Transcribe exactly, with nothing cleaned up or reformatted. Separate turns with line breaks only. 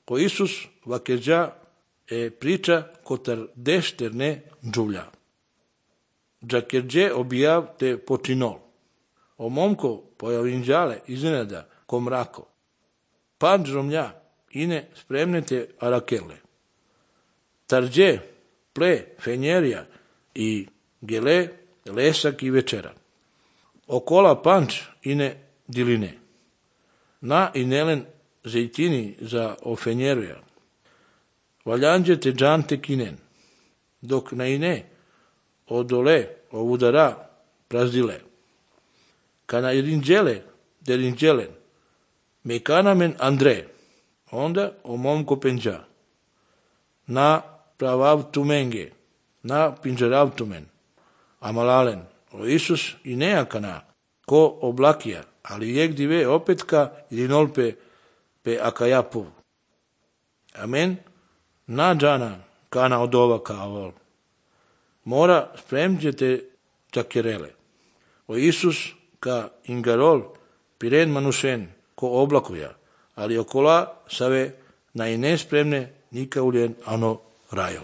Ko Isus vaqueja e priča cotar deșterne giulia. Giacherge obijav te počinol. O momko pojavinđale iznenada ko mrako. Pan žromlja ine spremnete arakele. Tarđe ple fenjerija i gele lesak i večera. Okola panč ine diline. Na inelen zejtini za ofenjeruja. Valjanđe te džante kinen. Dok na ine odole ovudara prazdile. Kana irinđele derinđelen. Mekanamen Andre. Onda o momko penđa. Na pravavtumenge. Na pinđeravtumen. Amalalen. O Isus i nejakana. Ko oblakija. Ali jek dive opetka irinolpe pe akajapu. Amen. Na džana kana odova kavol. Mora spremđete čakerele. O Isus ka ingarol piren manušen ko oblakuja, ali okola save na i nespremne nika uljen ano rajo.